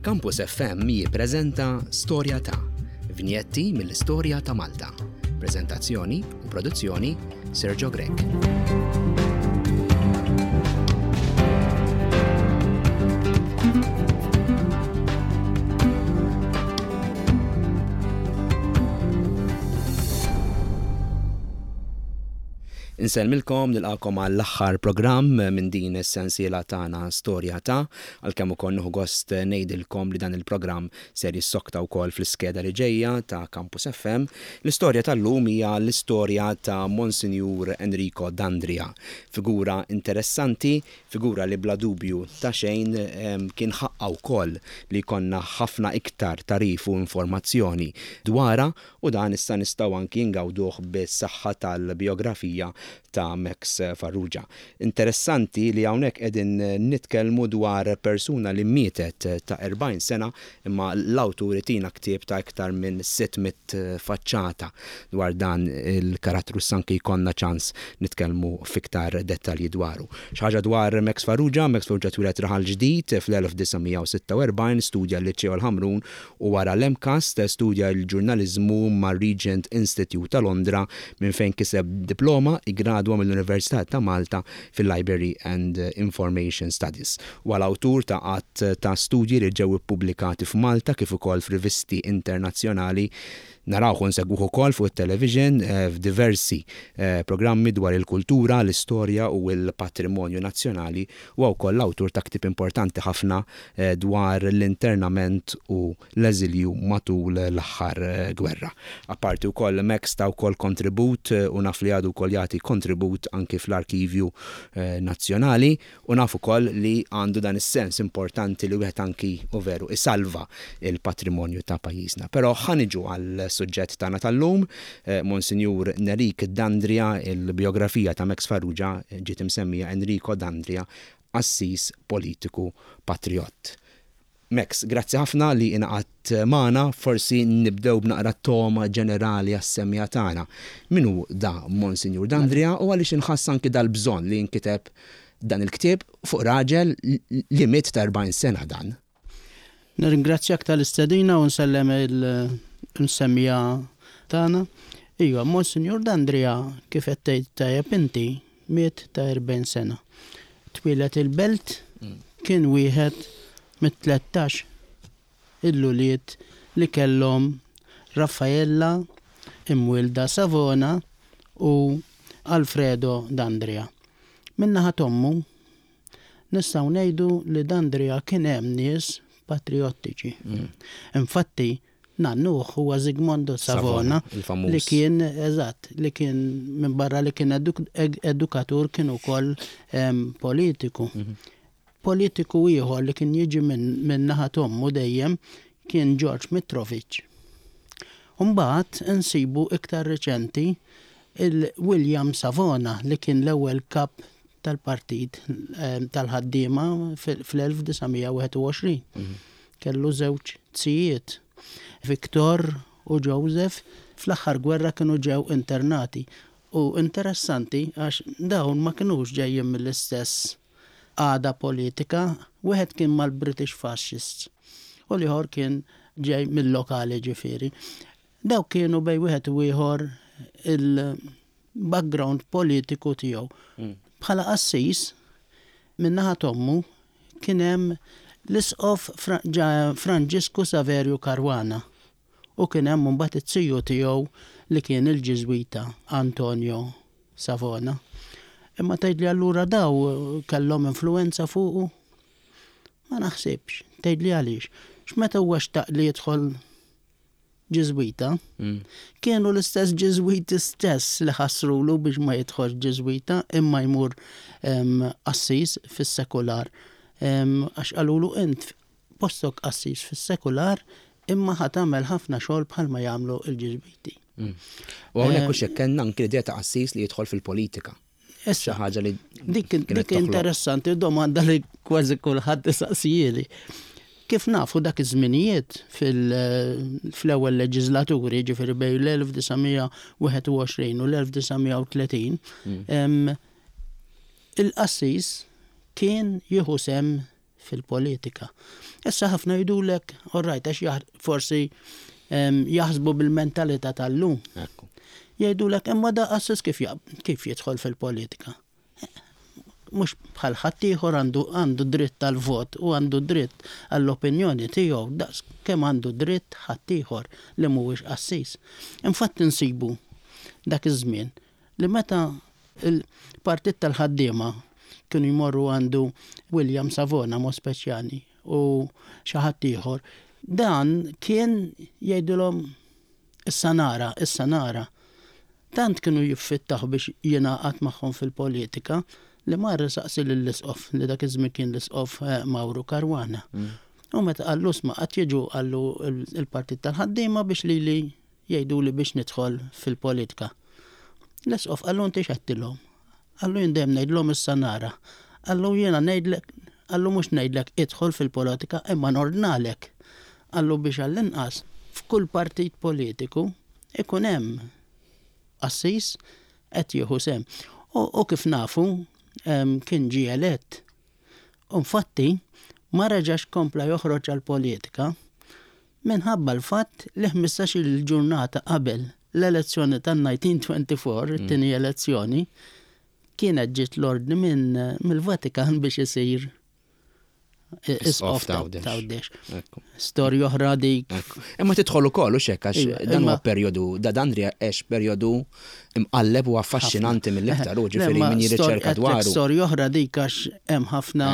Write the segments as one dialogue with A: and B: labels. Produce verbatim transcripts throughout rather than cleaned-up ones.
A: Campus F M jippreżenta Storja ta' Vinjetti mill-Istorja ta' Malta. Prezentazzjoni u produzzjoni, Sergio Grech. Insellmilkom, nilqagħkom għall-aħħar programm minn din is-sensiela tagħna Storja ta', għalkemm ukoll nieħu gost ngħidilkom li dan il-programm ser jissokta wkoll fl-iskeda li ġejja ta' Campus F M. L-istorja tal-lum hija l-istorja ta' Monsinjur Enrico Dandria, figura interessanti, figura li bla dubju ta' xejn kien ħaqqa wkoll li konna ħafna iktar tagħrif u informazzjoni dwarha, u dan issa nistgħu anki ngawduh bis-saħħa tal-biografija ta' Max Farrugia. Interessanti li hawnhekk qegħdin nitkellmu dwar persuna li mietet ta' erbgħin sena, imma l-awtur tina ktieb ta' iktar minn sitt mitt faċċata dwar dan il-karattru, anki jkollna ċans nitkellmu fiktar dettalji dwaru. Xi ħaġa dwar Max Farrugia: Max Farrugia twieled Raħal Ġdid fl-elf disa' mija u sitta u erbgħin, studja l-Liċeo l-Ħamrun u wara l-MCAST studja l-ġurnalizmu mar-Regent Institute ta' Londra, minn fejn kiseb diploma, iggradwa mill-Università ta' Malta fil-Library and Information Studies. U l-awtur ta' għadd ta' studji li ġew ippubblikati f'Malta kif ukoll f'rivisti internazzjonali. Narawh u nsegwuh ukoll fuq it-television eh, f'diversi eh, programmi dwar il-kultura, l-istorja u l-patrimonju nazzjonali, u wkoll l-awtur ta' ktieb importanti ħafna eh, dwar l-internament u l-eżilju matul l-aħħar gwerra. Apparti wkoll Max ta wkoll kontribut u naf li għadu wkoll jagħti kontribut anki fl-arkivju nazzjonali, u naf ukoll li għandu dan is-sens importanti li wieħed anki u veru isalva il-patrimonju ta' pajjiżna. Però ħa niġu għal suġġett tagħna tal-lum, eh, Monsinjur Nerik Dandria, il-biografija ta' Max Farrugia ġiet imsemmija Enrico Dandria, Assis Politiku Patriot. Max, grazzi ħafna li ingħaqadt magħna, forsi nibdew b'naqra toma ġenerali għas-semmiegħa tagħna. Min hu da Monsinjur Dandria u għaliex inħass anki dal-bżonn li jinkiteb dan il-ktieb fuq raġel li miet ta' erbgħin sena dan?
B: Nirringrazzjak tal-istedina u nsellem il-semmiegħa tagħna. Iva, Monsinjur Dandria, kif qed tgħid tajjeb inti, miet ta' erbgħin sena. Twieled il-Belt, kien wieħed mit-tlettax il-ulied li kellhom Raffaella imwielda Savona u Alfredo Dandria. Min-naħa t'ommu nistgħu ngħidu li Dandria kien hemm nies patriottiċi. Infatti, nannuh huwa Zigmondo Savona,
A: il-famuż.
B: Li kien, eżatt, li kien minn barra li kien eduk edukatur kien ukoll em, politiku. Politiku ieħor li kien jiġi minn min naħa t'ommu dejjem kien George Mitrovic. Umbagħad insibu iktar reċenti il-William Savona, li kien l-ewwel kap tal-partit em, tal-ħaddiema fl-elf disa' mija u wieħed u għoxrin. Kellu żewġ zijiet, Victor u Joseph, fl-aħħar gwerra kienu ġew internati. U interessanti għax dawn ma kinux ġejjin mill-istess għada politika, wieħed kien mal-British Fascists u l-ieħor kien ġej mill-lokali ġifieri. Daw kienu bejn wieħed u ieħor il-background politiku tiegħu. Bħala qassis, min-naħa t'ommu kien hemm l-isqof Fra Franġisku Saverio Caruana u kien hemm mbagħad it-tiju tiegħu li kien il-Ġiżwita Antonio Savona. Imma tgħidli, allura daw kellhom influenza fuqu? Ma naħsibx. Tgħidli għaliex. X'meta huwa xtaq li jidħol Ġiżwita, kienu l-istess Ġiżwiti stess li ħassrulu biex ma jidħolx Ġiżwita imma jmur qassis fis-sekular. Għax qalulu, int postok qassis fis-sekular, imma ħa tagħmel ħafna xogħol bħalma jagħmlu l-Ġiżwiti.
A: U hawnhekk hux hekk, kellna anki l-idea ta' qassis li jidħol fil-politika.
B: Issa,
A: Xi ħaġa li
B: dik
A: kienet
B: dik
A: toħloq.
B: interessanti domanda li kważi kulħadd isaqsijieli. Kif nafu, dak iż-żminijiet fil-ewwel leġislaturi, ġifieri bejn l-elf disa' mija u wieħed u għoxrin u l-elf disa' mija u tletin, em, il-qassis kien jieħu sehem fil-politika. Issa ħafna jgħidulek, all right, għax forsi jaħsbu bil-mentalità tal-lum. Jgħidulek, imma da qassis kif kif jidħol fil-politika? Mhux bħal ħaddieħor għandu għandu dritt tal-vot u għandu dritt għall-opinjoni tiegħu daqs kemm għandu dritt ħaddieħor li mhuwiex qassis. Infatti nsibu dak iż-żmien li meta il-partit tal-ħaddiema kienu jmorru għandu William Savona mod speċjali u xi ħadd ieħor, dan kien jgħidilhom issa nara, issa nara. Tant kienu jiffittaħ biex jingħaqad magħhom fil-politika li mar saqsi lill-isqof li dak iż-żmien kien l-isqof eh, Mauro Caruana. Mm. U meta qallu sma qatt jiġu qallu il-partit tal-ħaddiema biex li li jgħidu li biex nidħol fil-politika. L-isqof qallu inti x'għedtilhom? Qallu jien dejjem ngħidlhom issa nara. Qallu jiena ngħidlek, qallu mhux ngħidlek idħol fil-politika imma nordnalek. Qallu biex għall-inqas f'kull partit politiku ikun hemm qassis qed jieħu sehem. U kif nafu kien ġie elett. Infatti ma reġax kompla joħroġ għal-politika minħabba l-fatt li ħmistax-il ġurnata qabel l-elezzjoni tan-elf disa' mija u erbgħa u għoxrin, mm. it-tieni elezzjoni, kienet ġiet l-ordni minn mill-Vatikan biex isir isqof ta' Għawdex. Storja oħra dik.
A: Imma tidħol ukoll u xek għax iva, dan huwa perjodu, da dan għex perjodu imqalleb u affaxxinanti mill-iktar u ġifieri min jirriċerka dwaru.
B: Storja oħra dik għax hemm ħafna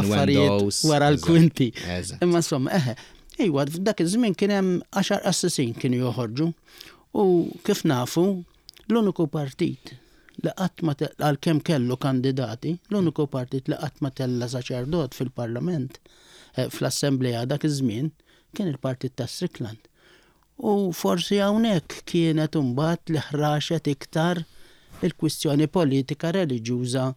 B: affarijiet wara l-kwinti. Imma insomma, eħe, Iwa, f'dak iż-żmien kien hemm għaxar qassisin kienu joħorġu. U kif nafu, l-uniku partit li qatt ma għalkemm kellu kandidati, l-uniku partit li qatt ma tella saċerdot fil-parlament, eh, fl-assembleja dak iż-żmien, kien il-partit ta' Strickland. U forsi hawnhekk kienet imbagħad li ħraxet iktar il-kwistjoni politika reliġjuża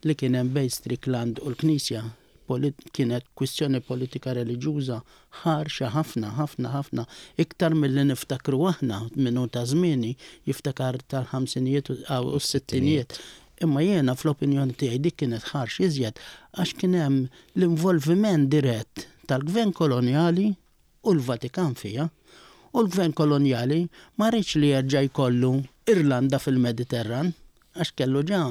B: li kien hemm bejn Strickland u l-Knisja. Kienet kwistjoni politika reliġjuża ħarxa ħafna, ħafna, ħafna, iktar milli niftakru aħna minnu ta' żmieni jiftakar tal-ħamsinijiet u s-sittinijiet. Imma jiena fl-opinjoni tiegħi dik kienet ħarx iżjed għax kien hemm l-involviment dirett tal-gvern kolonjali u l-Vatikan fija. U l-gvern kolonjali ma riedx li jerġa' jkollu Irlanda fil-Mediterran għax kellu ġa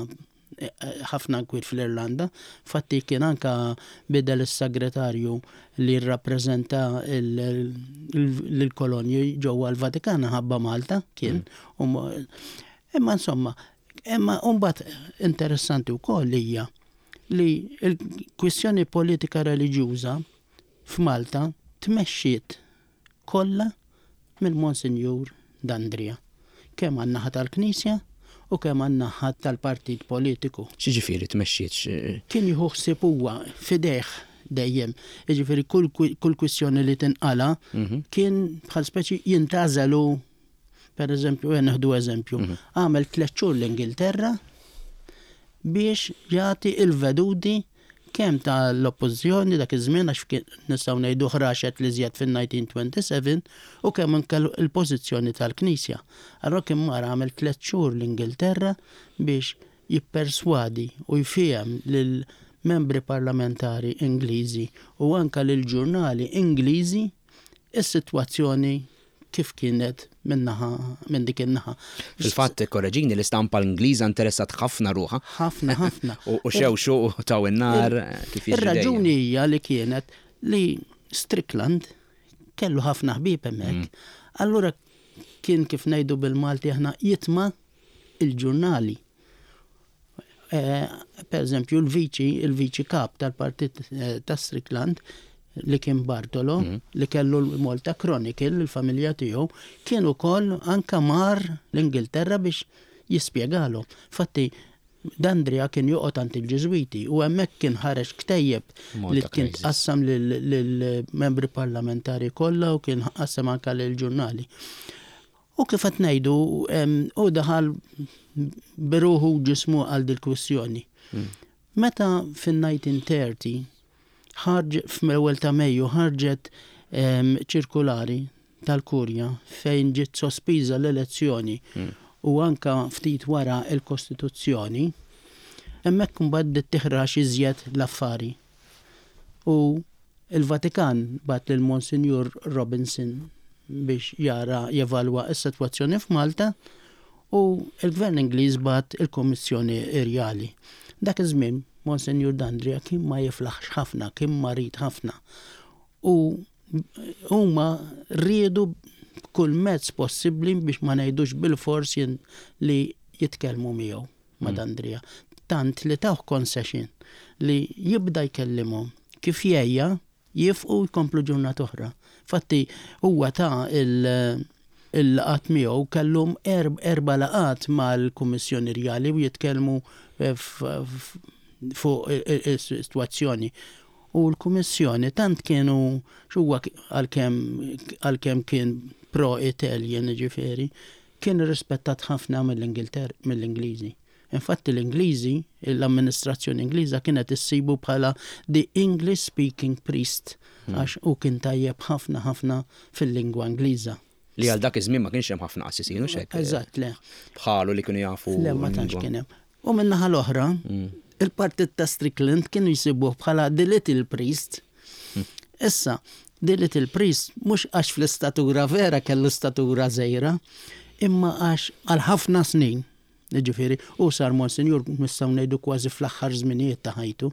B: ħafna nkwiet fl-Irlanda. Fatti kien anka bidel is-segretarju li rrappreżenta l-kolonji ġewwa l-Vatikan ħabba Malta kien. Mm. Imma insomma, imma mbagħad interessanti wkoll hija li l-kwistjoni politika reliġjuża f'Malta tmexxiet kollha mill-Monsinjur D'Andria. Kemm għan-naħa tal-Knisja u kemm għan-naħa tal-partit politiku.
A: X'jiġifieri tmexxiet?
B: Kien jieħu ħsieb huwa f'idejh dejjem. Jiġifieri kull kull kwistjoni li tinqala mhm. kien bħal speċi jintgħażel, per eżempju, nieħdu eżempju, mhm. għamel tliet xhur l-Ingilterra biex jagħti il-veduti kemm tal-oppożizzjoni dak iż-żmien għax nistgħu ngħidu ħraxet li żjed fin-elf disa' mija u sbatax u kemm anke il-pożizzjoni tal-Knisja. Allora kien mar għamel tliet xhur l-Ingilterra biex jipperswadi u jfiehem lil membri parlamentari Ingliżi u anka lil ġurnali Ingliżi is-sitwazzjoni kif kienet minnaħa minn dik in-naħa.
A: Fil-fatt, korreġini, l-istampa l-Ingliża interessat ħafna ruħha.
B: Ħafna, ħafna.
A: U xewxu u taw in-nar kif
B: jiġri. Ir-raġuni hija li kienet li Strickland kellu ħafna ħbieb hemmhekk. Mm. Allura kien kif ngħidu bil-Malti aħna jitma' il-ġurnali. Eh, per eżempju, il-viċi, il-viċi kap tal-partit eh, ta' Strickland, li kien Bartolo, mm. li kellu l-Malta Chronicle, il-familja tiegħu, kien ukoll anka mar l-Ingilterra biex jispjegalu. Fatti, D'Andria kien joqgħod għand il-Ġiżwiti u hemmhekk kien ħareġ ktejjeb li kien tqassam lill-membri parlamentari kollha u kien qassam anka lill-ġurnali. U kif qed ngħidu u daħal b'ruħu ġismu għal dil-kwistjoni. Mm. Meta fin-elf disa' mija u tletin ħarġ fl-ewwel ta' Mejju ħarġet ċirkulari tal-Kurja fejn ġiet sospiża l-elezzjoni mm. u anka ftit wara il-Kostituzzjoni, hemmhekk mbagħad bdiet tiħrax iżjed l-affari. U il-Vatikan bagħat lil Monsignor Robinson biex jara jevalwa s-sitwazzjoni f'Malta u il-Gvern Ingliż bagħat il-Kummissjoni Rjali. Dak iż-żmien Monsignor D'Andrea kien ma jiflaħx ħafna, kien marid ħafna. U huma riedu kull mezz possibbli biex ma ngħidux bil-fors li jitkellmu miegħu ma' mm. D'Andrea. Tant li tawh concession li jibda jkellimhom kif jgħejja jieqfu jkomplu ġurnata oħra. Fatti huwa ta' il- il-laqgħat miegħu kellhom erba' laqgħat mal-Kummissjoni Rjali u jitkellmu eh, fuq is-sitwazzjoni. U l-Kummissjoni tant kienu xuwa għalkemm kien pro-Italian ġifieri, kien rispettat ħafna mill-Ingilterra mill-Ingliżi. Infatti l-Ingliżi, l-amministrazzjoni Ingliża kienet issibu bħala the English speaking priest hmm. għax u kien tajjeb ħafna ħafna fil-lingwa Ingliża.
A: Li għal dak iż-żmien ma kienx hemm ħafna qassisin u xek.
B: Eżatt, le.
A: Bħalu li kienu jafu.
B: Le, ma tantx kien hemm. U min-naħa l-oħra, hmm. il-partit ta' Strickland kienu jsibuh bħala the little priest. Hmm. Issa, the little priest mhux għax fl-istatura vera kellu statura żgħira, imma għax għal ħafna snin, ġifieri, u sar Monsignor nistgħu ngħidu kważi fl-aħħar żminijiet ta' ħajtu,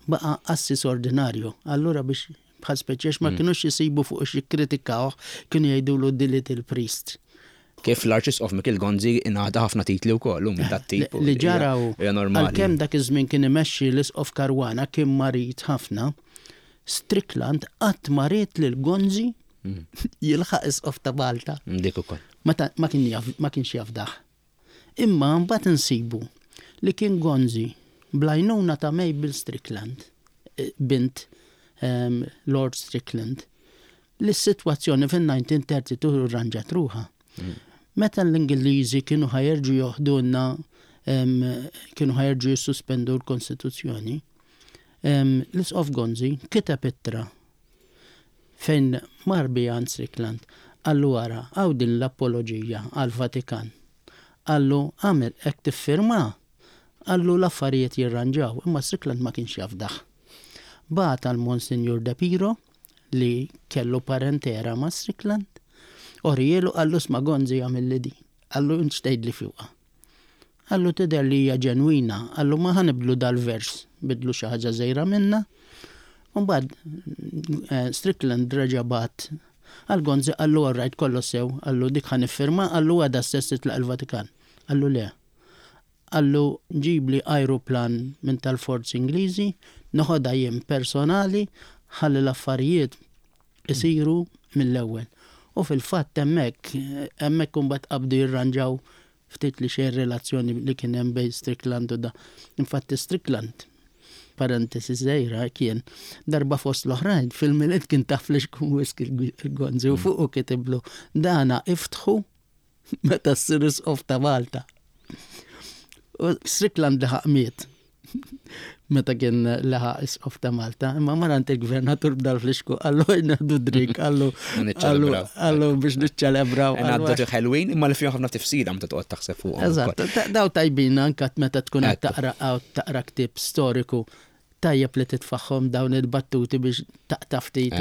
B: baqa' qassis ordinarju. Allura biex bħal speċiex ma mm. kienux jisibu fuq xi kritikawh, kienu jgħidulu the little priest.
A: Kif l-Arċisqof Mikiel Gonzi ingħata ħafna titli wkoll minn dat-tip.
B: Li ġaraw għalkemm dak iż-żmien kien imexxi l-Isqof Caruana kien marid ħafna, Strickland qatt ma ried lil Gonzi mm. jilħaq isqof ta' Malta.
A: Dik ukoll.
B: Ma kienx jafdah. Imma mbagħad insibu li kien Gonzi bl-għajnuna ta' Mabel Strickland, eh, bint um, Lord Strickland, li s-sitwazzjoni fin-elf disa' mija u tlieta u tletin rranġat ruħha. Mm. Meta l-Ingliżi kienu ħa jerġgħu joħdulna kienu ħa jerġgħu jissuspendu l-Kostituzzjoni, l-Isqof Gonzi kiteb ittra fejn mar biha Strickland qallu wara għaw din l-apologija għal-Vatikan. Qallu għamel hekk tiffirma, qallu l-affarijiet jirranġaw, imma Strickland ma kienx jafdah. Bagħat għal Monsignor De Piro li kellu parentera ma' Strickland, urihielu qallu isma' Gonzi għamilli di, qallu int x'tgħidli fuqha. Qallu tidher li hija ġenwina, qallu ma ħa nibdlu dal-vers, bidlu xi ħaġa żgħira minna. Mbagħad eh, Strickland reġa' bagħat għal Gonzi qallu alright kollu sew, qallu dik ħa niffirma, qallu għada stess titlaq il-Vatikan. Qallu le. Qallu ġibli aeroplan minn tal-forzi Ingliżi, noħodha jien personali, ħalli l-affarijiet isiru mill-ewwel. U fil-fatt hemmhekk hemmhekk imbagħad qabdu jirranġaw ftit li xejn relazzjoni li kien hemm bejn Strickland u da. Infatti Strickland, parentesi żgħira, kien darba fost l-oħrajn fil-Milied kien tah flixkun whisky il-Gonzi u fuq kitiblu dana iftħu meta ssir isqof ta' Malta. U Strickland laħaq miet meta kien laħaq isqof ta' Malta, imma mar għand il-gvernatur b'dal-flixkun, qallu nieħdu drink, qallu qallu biex niċċelebraw.
A: Għaddu ħelwin, imma li fihom ħafna tifsira meta toqgħod taħseb fuqhom.
B: Eżatt, daw tajbin anka meta tkun qed taqra taqra ktieb storiku tajjeb li titfaħħom dawn il-battuti biex taqta' ftit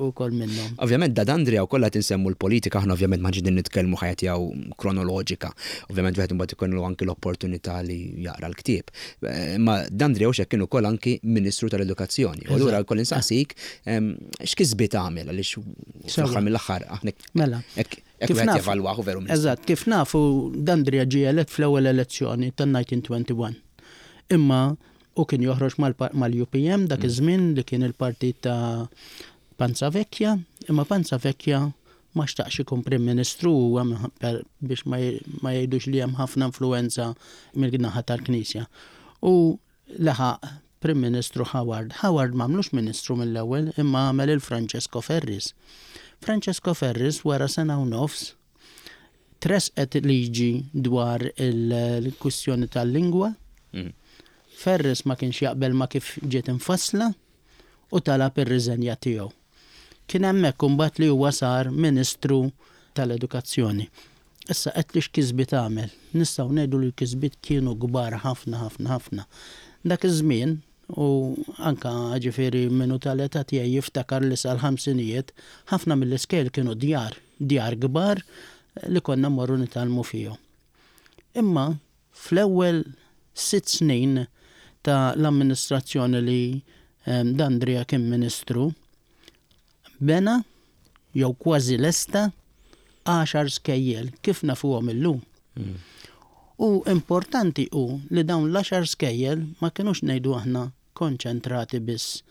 B: ukoll minnhom.
A: Ovvjament da D'Andrea u kollha tinsemmu l-politika, aħna ovvjament ma ġidin nitkellmu ħajja tiegħu kronoloġika. Ovvjament wieħed imbagħad ikollu anki l-opportunità li jaqra l-ktieb. Ma D'Andrea u kien ukoll anki Ministru tal-Edukazzjoni. U allura wkoll insaqsik x'kisbiet għamel għaliex fl-aħħar mill-aħħar aħna
B: Mela.
A: Kif jevalwahu veru.
B: Eżatt, kif nafu D'Andrea ġie elett fl-ewwel elezzjoni tan-elf disa' mija u wieħed u għoxrin. Imma u kien joħroġ mal-U P M dak mm. iż-żmien li kien il-partit ta' Panzavecchia, imma Panzavecchia ma xtaqx ikun Prim Ministru huwa biex ma jgħidux li hemm ħafna influenza mill-naħa tal-Knisja. U laħaq Prim Ministru Howard. Howard m'għamlux Ministru mill-ewwel imma għamel il-Francesco Ferris. Francesco Ferris wara sena u nofs tresqet liġi dwar il-kwistjoni tal-lingwa. Mm. Ferris ma kienx jaqbel ma kif ġiet infassla u talab ir-riżenja tiegħu. Kien hemmhekk imbagħad li huwa sar Ministru tal-Edukazzjoni. Issa qed li x'kisbiet għamel. Nistgħu ngħidu li l-kisbiet kienu kbar ħafna ħafna ħafna. Dak iż-żmien U anka ġifieri minnu tal-età tiegħi jiftakar li sal-ħamsinijiet ħafna mill-iskejjel kienu djar, djar kbar li konna mmorru nitgħallmu fihom. Imma fl-ewwel sitt snin ta' l-amministrazzjoni li Dandria kien ministru, bena jew kważi lesta għaxar skejjel kif nafuhom illum. Mm. U importanti hu li dawn l-għaxar skejjel ma kinux, ngħidu aħna, konċentrati biss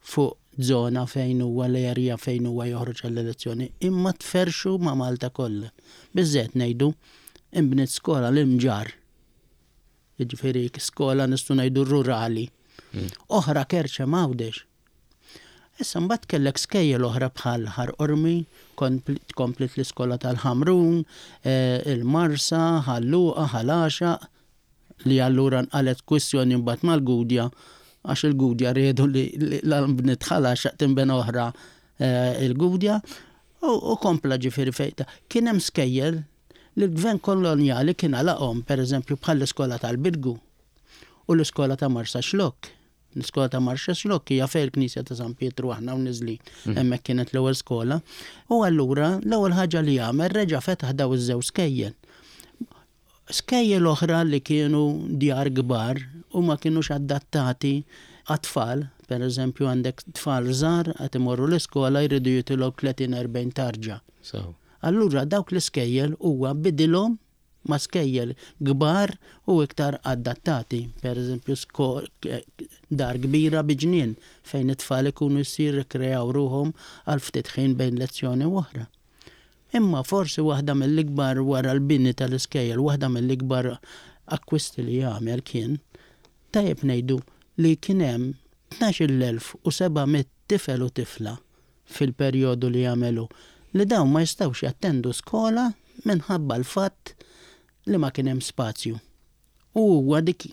B: fuq zona fejn huwa l-area fejn huwa joħroġ għall-elezzjoni, imma tferxu ma' Malta kollha. Biżżejjed ngħidu inbniet skola l-Imġarr. Jiġifieri skola, nistgħu ngħidu, rurali. Mm. Oħra Kerċem Għawdex. Issa mbagħad kellek skejjel oħra bħal Ħal Qormi, komplit l-iskola tal-Ħamrun, eh, il-Marsa, Ħal Luqa, Ħal Għaxaq, li allura nqalet kwistjoni mbagħad mal-Gudja, għax il-Gudja riedu li l-bniet Ħal Għaxaq tinbena oħra eh, il-Gudja, u kompla ġifieri fejta. Kien hemm skejjel li l-gvern koloniali kien għalaqhom, per eżempju bħal l-iskola tal-Birgu u l-iskola ta' Marsaxlokk. L-iskola ta' Marsaxlokk hija fejn il-Knisja ta' San Pietru aħna u neżlin. Mm. Hemmhekk kienet l-ewwel skola. U allura l-ewwel ħaġa li għamel, reġa' fetaħ daw iż-żewġ skejjel. Skejjel oħra li kienu djar kbar u ma kienux adattati għat-tfal, per eżempju għandek tfal żgħar qed imorru l-iskola, jridu jitilgħu tletin erbgħin tarġa. Allura dawk l-iskejjel huwa bidilhom ma' skejjel kbar u iktar adattati. Per eżempju, dar kbira bi ġnien fejn it-tfal ikunu jsir rikrejaw ruħhom għal ftit ħin bejn lezzjoni u oħra. Imma forsi waħda mill-ikbar, wara l-bini tal-iskejjel, waħda mill-ikbar akkwisti li jagħmel kien, tajjeb ngħidu, li kien hemm tnax-il elf u seba' mitt tifel u tifla fil-perjodu li jagħmelu li dawn ma jistgħux jattendu skola minħabba l-fatt li ma kien hemm spazju. U huwa dik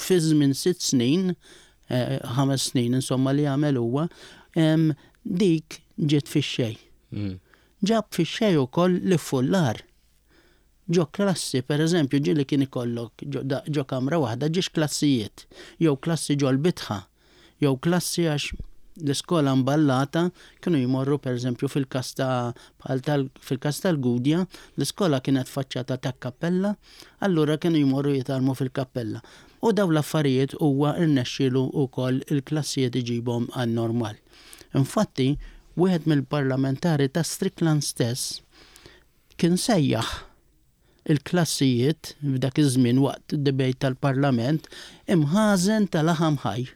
B: fi żmien sitt snin, eh, ħames snin insomma li għamel huwa, dik ġiet fix-xejn. Mm. Ġab fix-xejn ukoll l-iffullar. Ġo klassi, per eżempju, ġieli kien ikollok ġo kamra waħda żewġ klassijiet, jew klassi ġo l-bitħa, jew klassi, għax l-iskola mballata kienu jmorru, per eżempju fil-kas ta' fil-kas tal-Gudja, l-iskola kienet faċċata ta' kappella, allura kienu jmorru jitgħallmu fil-kappella. U daw l-affarijiet huwa irnexxielu wkoll il-klassijiet iġibhom għan-normal. Infatti, wieħed mill-parlamentari ta' Strickland stess kien sejjaħ il-klassijiet f'dak iż-żmien waqt debate tal-parlament imħażen tal-laħam ħaj.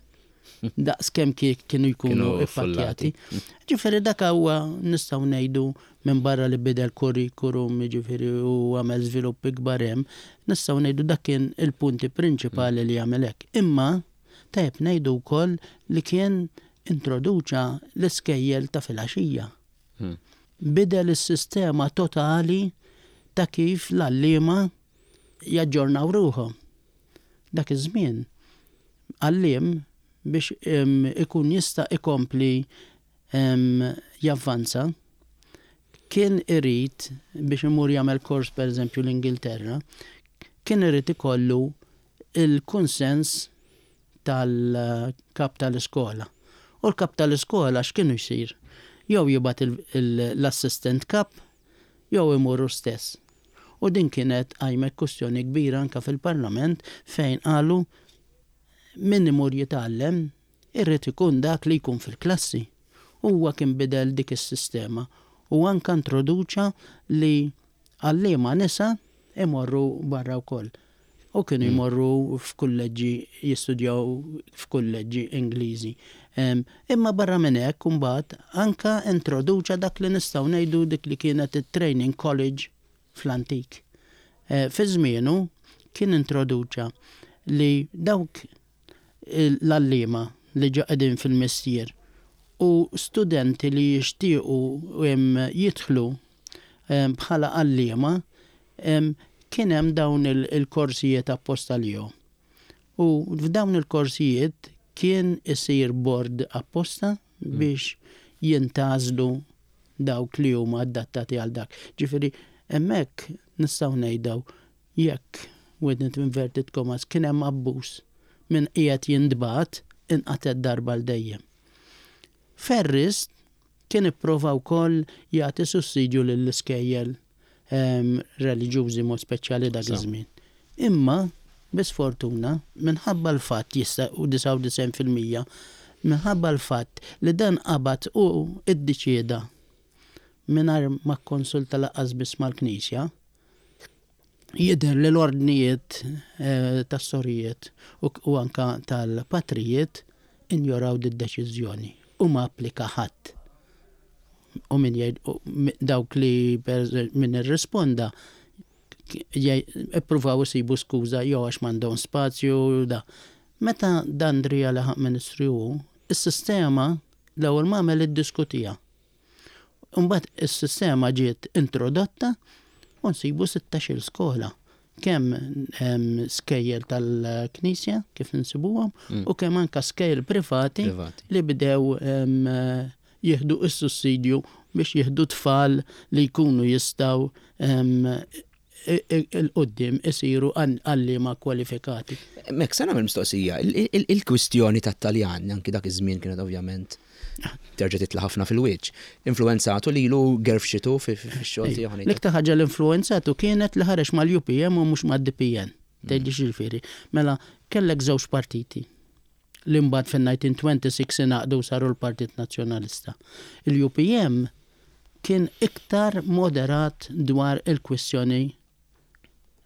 B: Daqs kemm kienu jkunu ippakkjati. Ġifieri dak huwa, nistgħu ngħidu, minn barra li bidel kurrikulum, ġifieri u għamel żviluppi kbar hemm, nistgħu ngħidu dak kien il-punti prinċipali li għamel hekk. Imma tajjeb ngħidu wkoll li kien introduċa l-iskejjel ta' filgħaxija. Hmm. Bidel is-sistema totali ta' kif l-għalliema jaġġornaw ruħhom. Dak iż-żmien għalliem biex ikun jista' ikompli javvanza kien irid biex imur jagħmel kors, per eżempju l-Ingilterra, kien irid ikollu il-konsens tal-kap tal-iskola. U l-kap tal-iskola x'kienu jsir? Jew jibgħat l-assistant kap, jew imurru stess. U din kienet qajmet kwistjoni kbira anka fil-parlament fejn qalu min imur jitgħallem irrid ikun dak li jkun fil-klassi. Huwa kien bidel dik is-sistema u anka introduċa li għalliema nisa imorru barra wkoll. U kienu mm. jmorru f'kulleġġi, jistudjaw f'kulleġġi Ingliżi. Imma barra minn hekk imbagħad anka introduċa dak li nistgħu ngħidu dik li kienet it-training college fl-antik. E, fi żmienu kien introduċa li dawk l-għalliema li ġa qegħdin fil-mestier u studenti li jixtiequ jidħlu bħala għalliema, kien hemm dawn il-korsijiet apposta lihom. U f'dawn il-korsijiet kien isir board apposta mm. biex jintgħażlu dawk li huma adattati għal dak. Ġifieri hemmhekk nistgħu ngħidu jekk, with inverted commas, kien hemm abbuż minn qiegħed jintbagħat inqatet darba l dejjem. Ferris kien ipprova wkoll jagħti sussidju lill-iskejjel em, reliġjużi, mod speċjali dak
A: Sew.
B: iż-żmien. Imma bisfortuna, minħabba l-fatt jista' u disgħa u disgħin fil-mija minħabba l-fatt li dan qabad u iddeċieda mingħajr ma konsulta lanqas biss mal-Knisja, jidher li l-ordnijiet eh, tas-sorijiet u, u anka tal-patrijiet injoraw d-deċiżjoni u ma applika ħadd. U min jgħid u mi- dawk li per min irrisponda jgħid- ippruvaw isibu skuża jew għax m'għandhom spazju u da. Meta Dandria laħaq ministru hu, is-sistema l-ewwel ma għamel iddiskutija. Imbagħad is-sistema ġiet introdotta u nsibu sittax-il skola. Kemm em, skejjel tal-Knisja kif nsibuhom
A: Mm.
B: u kemm anka skejjel privati
A: Privati.
B: li bdew em, jieħdu is-sussidju biex jieħdu tfal li jkunu jistgħu em, i- i- il-qoddim isiru għalliema kwalifikati.
A: Mek, sa nagħmel mistoqsija, il- il- il-kwistjoni tat-Taljan, anki dak iż-żmien kienet ovvjament terġa' titla' ħafna fil-wiċċ. Influenzatu lilu, gerfxitu fix-xogħol tiegħu, ngħid.
B: L-iktar ħaġa l-influenzatu kienet li ħareġ mal-U P M u mhux mad-D P N. Tgħidli x'jiġifieri? Mela, kellek żewġ partiti li mbagħad fin-elf disa' mija u sitta u għoxrin ingħaqdu saru l-Partit Nazzjonalista. Il-U P M kien iktar moderat dwar il-kwistjoni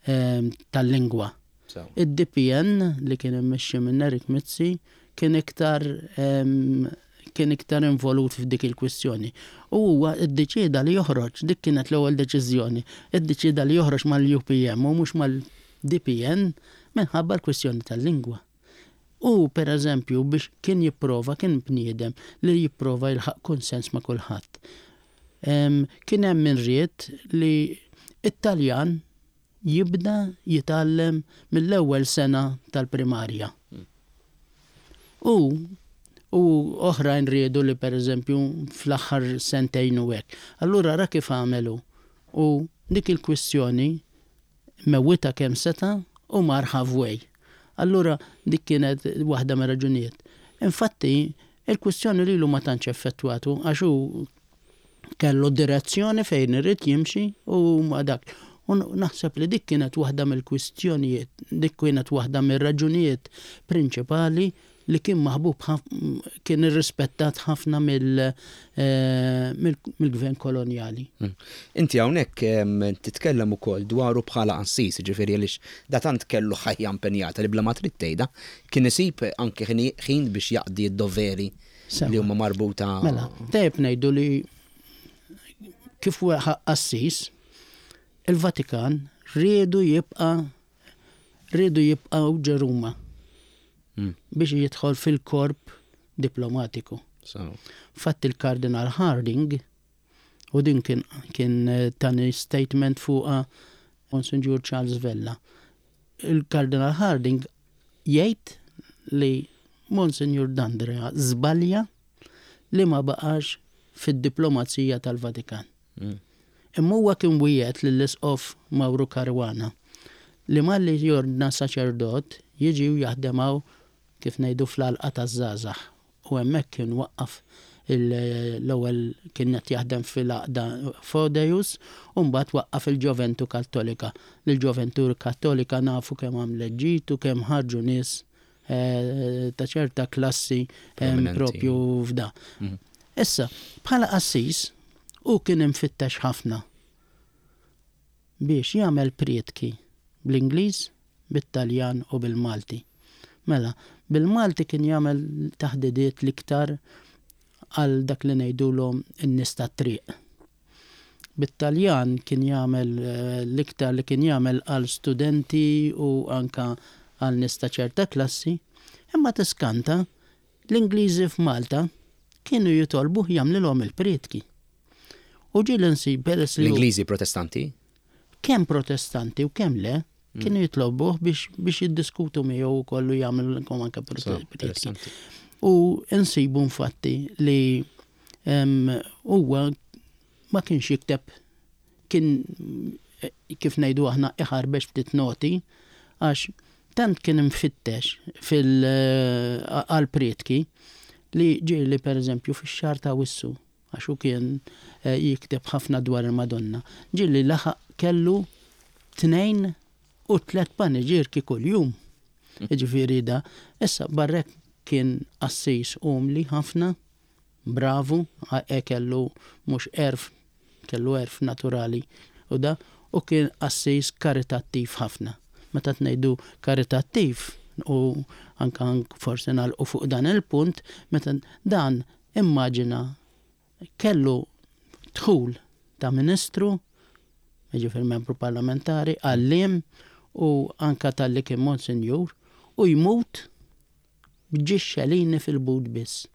B: ehm, tal-lingwa.
A: So.
B: Id-D P N li kien immexxi minn Nerik Mizzi kien iktar em, kien iktar involut f'dik il-kwistjoni. U huwa iddeċieda li joħroġ, dik kienet l-ewwel deċiżjoni, iddeċieda li joħroġ mal-U P M u mhux mal-D P N minħabba l-kwistjoni tal-lingwa. U per eżempju biex kien jipprova, kien bniedem li jipprova jilħaq konsens ma' kulħadd. Em, Kien hemm min ried li it-Taljan jibda jitgħallem mill-ewwel sena tal-primarja. U u oħrajn riedu li per eżempju fl-aħħar sentejn u hekk. Allura ra kif għamelu u dik il-kwistjoni mewwita kemm seta' u mar halfway. Allura dik kienet waħda mir raġunijiet. Infatti, il-kwistjoni lilu ma tantx effettwatu għax hu kellu direzzjoni fejn irid jimxi u ma dak. U naħseb li dik kienet waħda mill-kwistjonijiet, dik kienet waħda mir-raġunijiet prinċipali li kien maħbub ħaf- kien irrispettat ħafna mill- eh, mill- mill-gvern kolonjali.
A: Mm. Inti hawnhekk em, titkellem ukoll dwaru bħala qassis, ġifieri għaliex da tant kellu ħajja impenjata li bla ma trid tgħidha kien isib anke ħin ħin biex jaqdi d-doveri
B: Sewa.
A: li huma marbuta.
B: Mela, tajjeb ngħidu li kif huwa qassis, il-Vatikan riedu jibqa' riedu jibqgħu ġo Ruma
A: Mm.
B: biex jidħol fil-korp diplomatiku.
A: So.
B: Fatt il-Kardinal Harding, u din kien, kien eh, tani statement fuqa Monsignor Charles Vella. Il-Kardinal Harding jgħid li Monsignor Dandrea żbalja li ma baqax fid-diplomazija tal-Vatikan.
A: Mm.
B: Imma huwa kien wiegħed lill-Isqof Mauro Caruana li malli jordna saċerdot jiġi u jaħdem hawn, kif ngħidu, fl-għalqa taż-żgħażagħ. U hemmhekk kien waqqaf il- l-ewwel kien qed jaħdem fil-għaqda Fodeus u mbagħad waqqaf il-Ġoventu Kattolika. L-Ġoventu Kattolika nafu kemm għamlet ġid u kemm ħarġu nies eh, ta' ċerta klassi em,
A: Prominenti.
B: propju f'da.
A: Mhm.
B: Issa, bħala qassis, u kien imfittex ħafna biex jagħmel prietki bl-Ingliż, bit-Taljan u bil-Malti. Mela, bil-Malti kien jagħmel taħdidiet l-iktar għal dak li ngħidulhom in-nies tat-triq. Bit-Taljan kien jagħmel eh, l-iktar li kien jagħmel għal studenti u anka għal nies ta' ċerta klassi, imma tiskanta, l-Ingliżi f'Malta kienu jitolbuh jagħmlilhom il-prietki. U ġieli nsib peress li hu-
A: L-Ingliżi protestanti?
B: Kemm protestanti u kemm le, kienu jitlobuh biex biex jiddiskutu miegħu u kollu jagħmel anke
A: So,
B: prietki.
A: interessanti.
B: U nsibu infatti li em, huwa ma kienx jikteb, kien eh, kif ngħidu aħna iħarbex ftit noti, għax Tant kien imfittex fil-prietki li ġieli pereżempju fix-xahar ta' Awwissu, għax hu kien jikteb ħafna dwar il-Madonna, ġieli laħaq kellu tnejn u tliet paniġierki kuljum. Jiġifieri da, issa barrek kien qassis umli ħafna, bravu, e kellu mhux għerf, kellu għerf naturali u da, u kien qassis karitattiv ħafna. Meta tnejdu karitattiv, u anka forsi nagħlqu fuq dan il-punt, meta dan immaġina kellu dħul ta' ministru, jiġifieri membru parlamentari, għalliem u anka tal-li kien monsinjur, u jmut b'ġixxelini fil-but biss.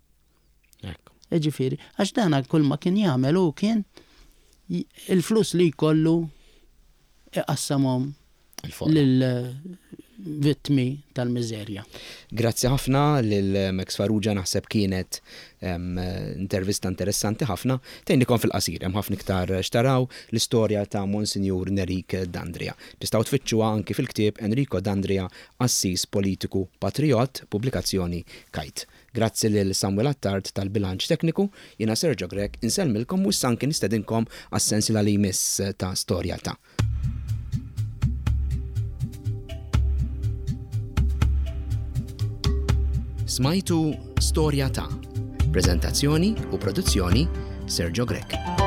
B: Jiġifieri, għax dana kull ma kien jagħmel hu kien il-flus li jkollu iqassamhom lil vittmi tal-miżerja.
A: Grazzi ħafna lil Max Farrugia, naħseb kienet em, intervista interessanti ħafna. Tgħinnikom fil-qasir, hemm ħafna iktar xtaraw l-istorja ta' Monsinjur Nerik Dandria. Tistgħu tfittxuha anki fil-ktieb Enrico Dandria, Assis Politiku Patriot, pubblikazzjoni Kite. Grazzi lil Samuel Attard tal-bilanċ tekniku, jiena Sergio Grech, insellmilkom u anki nistedinkom għas-sensiela li jmiss ta' Storja ta'. Smajtu Storja ta'. Prezentazzjoni u produzzjoni Sergio Grech.